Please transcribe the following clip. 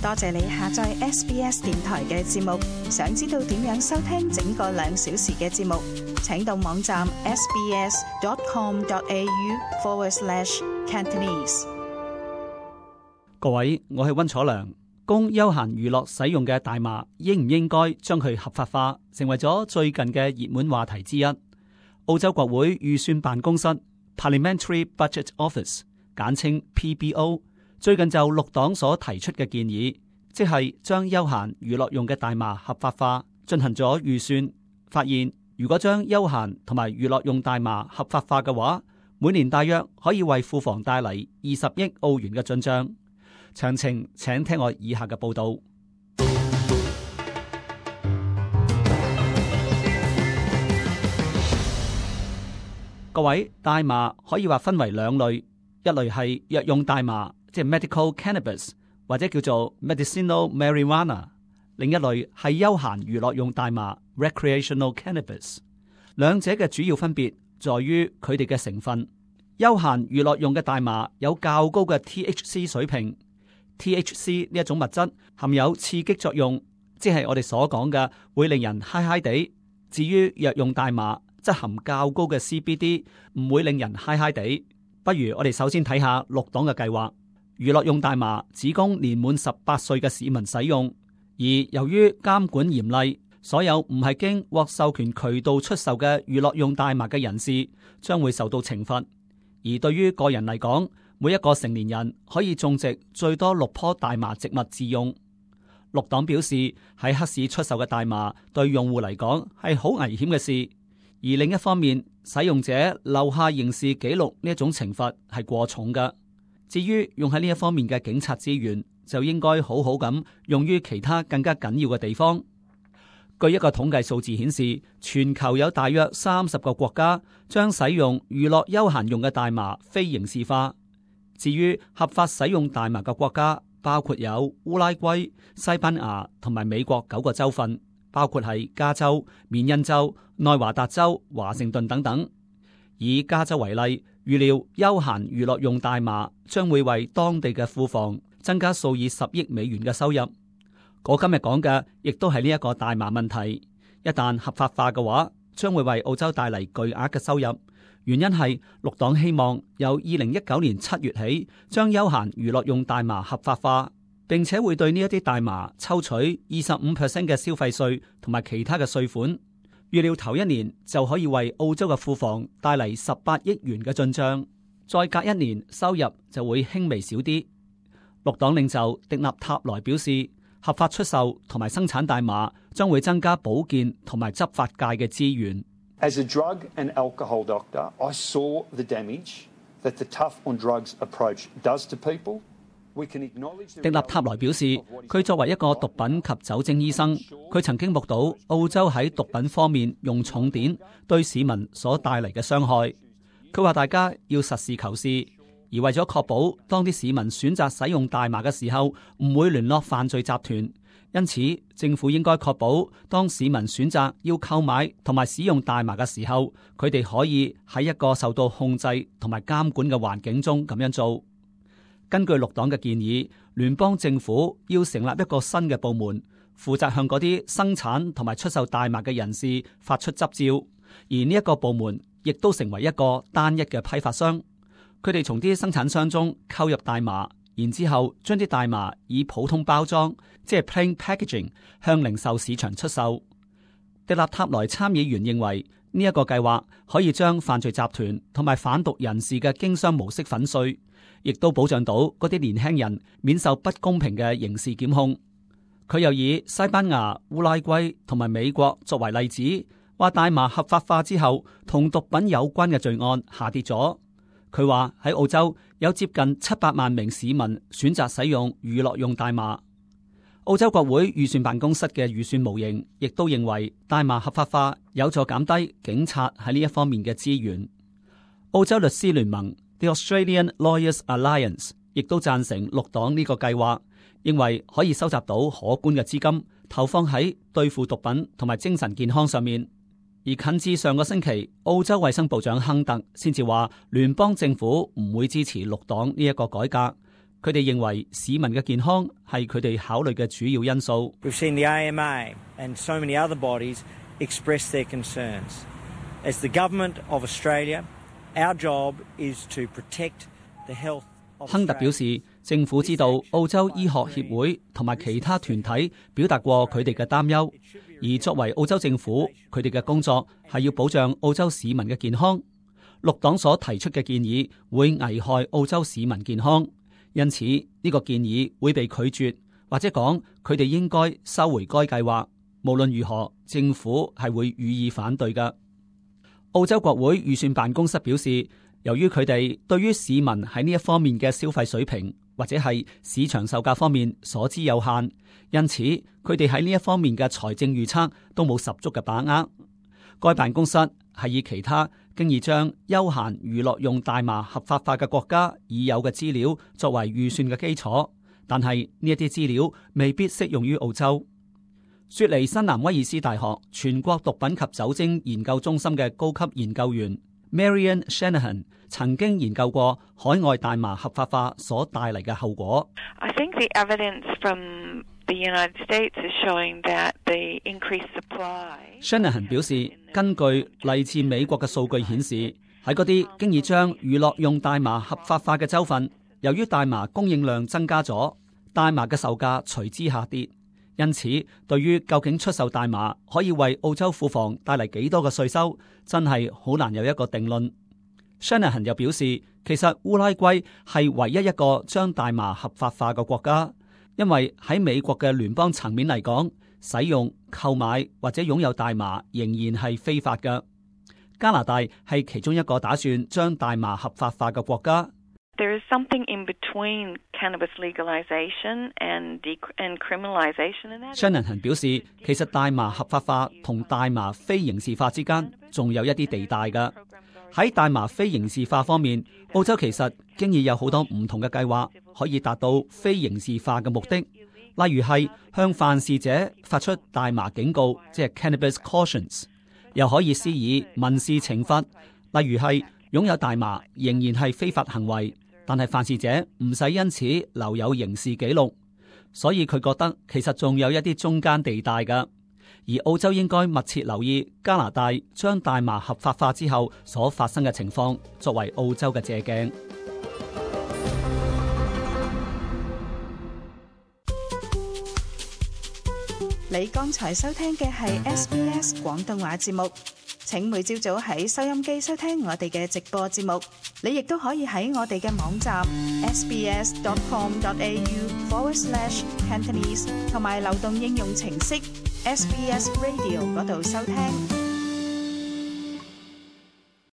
多謝你下載 SBS 電台嘅節目。想知道點樣收聽整個2小時嘅節目，請到網站 sbs.com.au/Cantonese。各位，我係溫楚良。供休閒娛樂使用嘅大麻，應唔應該將佢合法化，成為咗最近嘅熱門話題之一。澳洲國會預算辦公室 Parliamentary Budget Office 簡稱 PBO， 最近就綠黨所提出嘅建議，即係將休閒娛樂用嘅大麻合法化，進行咗預算，發現如果將休閒同埋娛樂用大麻合法化嘅話，每年大約可以為庫房帶嚟20億澳元嘅進帳。詳情請聽我以下嘅報導。各位，大麻可以話分為兩類，一類係藥用大麻，即係 medical cannabis 或者叫做 medicinal marijuana， 另一類係休閒娛樂用大麻 recreational cannabis。兩者嘅主要分別在於佢哋嘅成分。休閒娛樂用嘅大麻有較高嘅 THC 水平。THC 呢一種物質含有刺激作用，即係我哋所講嘅會令人嗨嗨地。至於藥用大麻則含較高嘅 CBD， 唔會令人嗨嗨地。不如我哋首先睇下綠黨嘅計劃。娛樂用大麻只供年滿18歲嘅市民使用，而由於監管嚴厲，所有唔係經獲授權渠道出售嘅娛樂用大麻嘅人士將會受到懲罰。而對於個人嚟講，每一個成年人可以種植最多6棵大麻植物自用。綠黨表示，喺黑市出售嘅大麻對用戶嚟講係好危險嘅事，而另一方面，使用者留下刑事記錄呢一種懲罰係過重嘅。至於用喺呢一方面嘅警察資源，就應該好好咁用於其他更加緊要嘅地方。據一個統計數字顯示，全球有大約30個國家將使用娛樂休閒用嘅大麻非刑事化。至於合法使用大麻嘅國家，包括有烏拉圭、西班牙同埋美國9個州份，包括係加州、緬因州、內華達州、華盛頓等等。以加州為例，預料休閒娛樂用大麻將會為當地嘅庫房增加數以10億美元嘅收入。我今日講嘅亦都係呢一個大麻問題，一旦合法化嘅話，將會為澳洲帶嚟巨額嘅收入。原因係綠黨希望由2019年7月起將休閒娛樂用大麻合法化，並且會對呢一啲大麻抽取25% 嘅消費稅同埋其他嘅稅款。預料頭1年就可以為澳洲嘅庫房帶嚟18億元嘅進帳，再隔1年收入就會輕微少啲。綠黨領袖迪納塔萊表示，合法出售同埋生產大麻將會增加保健同埋執法界嘅資源。As a drug and alcohol doctor, I saw the damage that the tough on drugs approach does to people. We can acknowledge. 迪納塔萊表示，佢作為一個毒品及酒精醫生，佢曾經目睹澳洲喺毒品方面用重典對市民所帶嚟嘅傷害。佢話大家要實事求是，而為咗確保當啲市民選擇使用大麻嘅時候唔會聯絡犯罪集團。因此，政府應該確保當市民選擇要購買同埋使用大麻嘅時候，佢哋可以喺一個受到控制同埋監管嘅環境中咁樣做。根據綠黨嘅建議，聯邦政府要成立一個新嘅部門，負責向嗰啲生產同埋出售大麻嘅人士發出執照，而呢一個部門亦都成為一個單一嘅批發商。佢哋從啲生產商中購入大麻，然之後將啲大麻以普通包裝，即係 plain packaging 向零售市場出售。迪納塔萊參議員認為呢一個計劃可以將犯罪集團同埋販毒人士嘅經商模式粉碎，亦都保障到嗰啲年輕人免受不公平嘅刑事檢控。佢又以西班牙、烏拉圭同埋美國作為例子，話大麻合法化之後，同毒品有關嘅罪案下跌咗。佢話喺澳洲有接近700萬名市民選擇使用娛樂用大麻。澳洲國會預算辦公室嘅預算模型亦都認為大麻合法化有助減低警察喺呢一方面嘅資源。澳洲律師聯盟 The Australian Lawyers Alliance 亦都贊成綠黨呢個計劃，認為可以收集到可觀嘅資金，投放喺對付毒品同埋精神健康上面。而近至上個星期，澳洲衛生部長亨特先至話聯邦政府唔會支持綠黨呢一個改革。佢哋認為市民嘅健康係佢哋考慮嘅主要因素。We've seen the AMA and so many other bodies express their concerns. As the government of Australia, our job is to protect the health of Australia. 亨特表示，政府知道澳洲醫學協會同埋其他團體表達過佢哋嘅擔憂，而作為澳洲政府，佢哋嘅工作係要保障澳洲市民嘅健康。綠黨所提出嘅建議會危害澳洲市民健康，因此呢個建議會被拒絕，或者講佢哋應該收回該計劃。無論如何，政府係會予以反對嘅。澳洲國會預算辦公室表示，由於佢哋對於市民喺呢一方面嘅消費水平或者係市場售價方面所知有限，因此佢哋喺呢一方面嘅財政預測都冇十足嘅把握。該辦公室係以其他經已將休閒娛樂用大麻合法化嘅國家已有嘅資料作為預算嘅基礎，但係呢一啲資料未必適用於澳洲。雪梨新南威爾斯大學全國毒品及酒精研究中心嘅高級研究員 Marian Shanahan 曾經研究過海外大麻合法化所帶嚟嘅後果。I think the evidence from the United States is showing that the increased supply. Shanahan 表示，根據嚟自美國嘅數據顯示，喺嗰啲經已將娛樂用大麻合法化嘅州份，由於大麻供應量增加咗，大麻嘅售價隨之下跌。因此，對於究竟出售大麻可以為澳洲庫房帶嚟幾多嘅稅收，真係好難有一個定論。Shanahan 又表示，其實烏拉圭係唯一一個將大麻合法化嘅國家，因為喺美國嘅聯邦層面嚟講，使用、購買或者擁有大麻仍然係非法嘅。加拿大係其中一個打算將大麻合法化嘅國家。There is something in between cannabis legalization and criminalization in that. Shanahan 表示，其實大麻合法化同大麻非刑事化之間仲有一啲地帶嘅。喺大麻非刑事化方面，澳洲其實經已有好多唔同嘅計劃可以達到非刑事化嘅目的，例如係向犯事者發出大麻警告，即係 cannabis cautions， 又可以施以民事懲罰，例如係擁有大麻仍然係非法行為，但係犯事者唔使因此留有刑事記錄，所以佢覺得其實仲有一啲中間地帶㗎。而澳洲應該密切留意加拿大將大麻合法化之後所發生嘅情況，作為澳洲嘅借鏡。你剛才收聽嘅係 SBS 廣東話節目。請每朝早喺收音機收聽我哋嘅直播節目，你亦都可以喺我哋嘅網站 sbs.com.au/Cantonese 同埋流動應用程式 SBS Radio 嗰度收聽。